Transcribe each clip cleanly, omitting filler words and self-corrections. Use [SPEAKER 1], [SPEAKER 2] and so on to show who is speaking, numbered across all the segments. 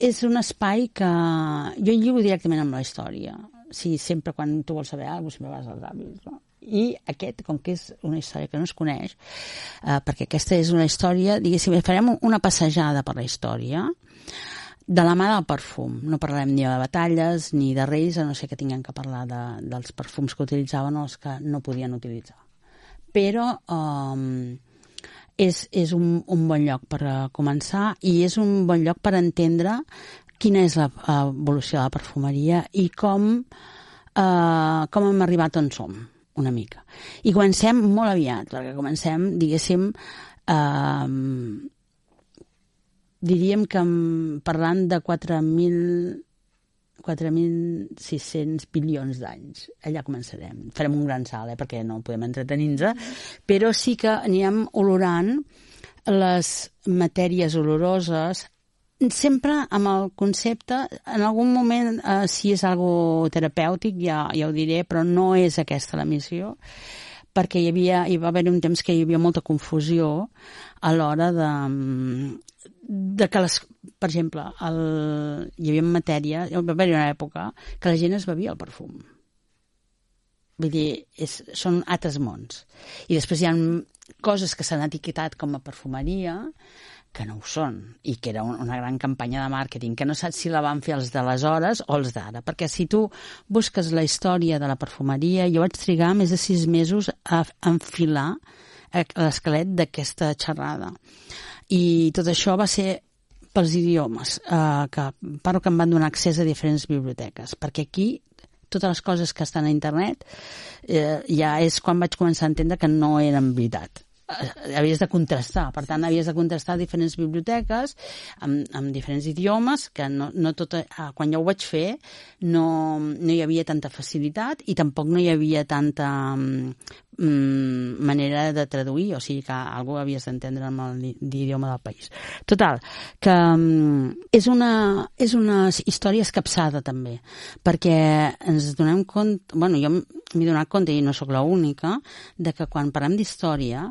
[SPEAKER 1] és un espai que jo lligo directament amb la història. Sí, sempre quan tu vols saber alguna cosa, sempre vas als avis, no? I aquest, com que és una història que no es coneix, perquè aquesta és una història, diguéssim, farem una passejada per la història de la mà del perfum. No parlarem ni de batalles ni de reis, a no ser que tinguem que parlar dels perfums que utilitzaven o els que no podien utilitzar. Però és un bon lloc per començar i és un bon lloc per entendre quina és l'evolució de la perfumeria i com hem arribat on som, una mica. I comencem molt aviat, perquè comencem, diguéssim, diríem que parlant de 4.600 bilions d'anys. Allà començarem. Farem un gran salt, perquè no podem entretenir-nos, però sí que anirem olorant les matèries oloroses, sempre amb el concepte, en algun moment, si és algo terapèutic, ja ho diré, però no és aquesta la missió, perquè hi va haver un temps que hi havia molta confusió a l'hora de que per exemple, hi havia matèria, hi va haver una època que la gent es bevia el perfum. Vull dir, són altres mons. I després hi ha coses que s'han etiquetat com a perfumeria que no ho són, i que era una gran campanya de màrqueting, que no saps si la van fer els d'aleshores o els d'ara, perquè si tu busques la història de la perfumeria, jo vaig trigar més de 6 mesos a enfilar l'esquelet d'aquesta xerrada. I tot això va ser pels idiomes, que parlo que em van donar accés a diferents biblioteques, perquè aquí totes les coses que estan a internet ja és quan vaig començar a entendre que no eren veritat. Havies de contrastar, per tant havies de contrastar diferents biblioteques amb diferents idiomes, que no tot, quan ja ho vaig fer no hi havia tanta facilitat i tampoc no hi havia tanta manera de traduir, o sigui que algú havies d'entendre amb l'idioma del país. Total, que és una història escapçada també, perquè ens donem compte, bueno, jo m'he donat compte, i no sóc l'única, de que quan parlem d'història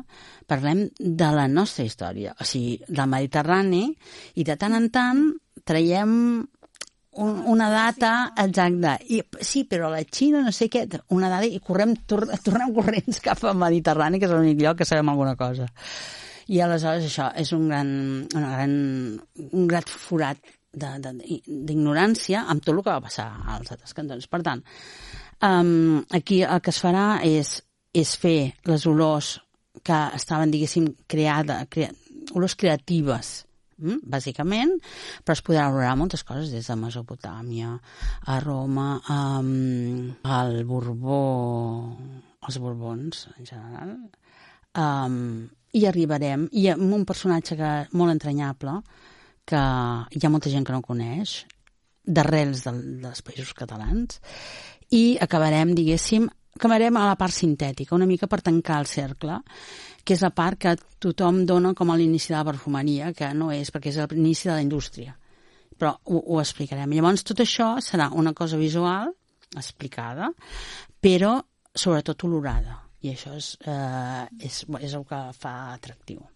[SPEAKER 1] parlem de la nostra història, o sigui, del Mediterrani, i de tant en tant traiem una data exacta. I, sí, però a la Xina, no sé què, una data, i tornem corrents cap al Mediterrani, que és l'únic lloc que sabem alguna cosa. I aleshores això és un gran forat d'ignorància amb tot el que va passar als altres cantons. Per tant, aquí el que es farà és fer les olors que estaven, diguéssim, olors creatives, bàsicament, però es podrà olorar moltes coses des de Mesopotàmia a Roma, al Borbó, els Borbons en general, i arribarem, i amb un personatge molt entranyable que hi ha molta gent que no coneix, d'arrels dels països catalans, i acabarem, diguéssim, a la part sintètica, una mica per tancar el cercle, que és la part que tothom dona com a l'inici de la perfumeria, que no és, perquè és l'inici de la indústria. Però ho explicarem. Llavors, tot això serà una cosa visual, explicada, però sobretot olorada. I això és el que fa atractiu.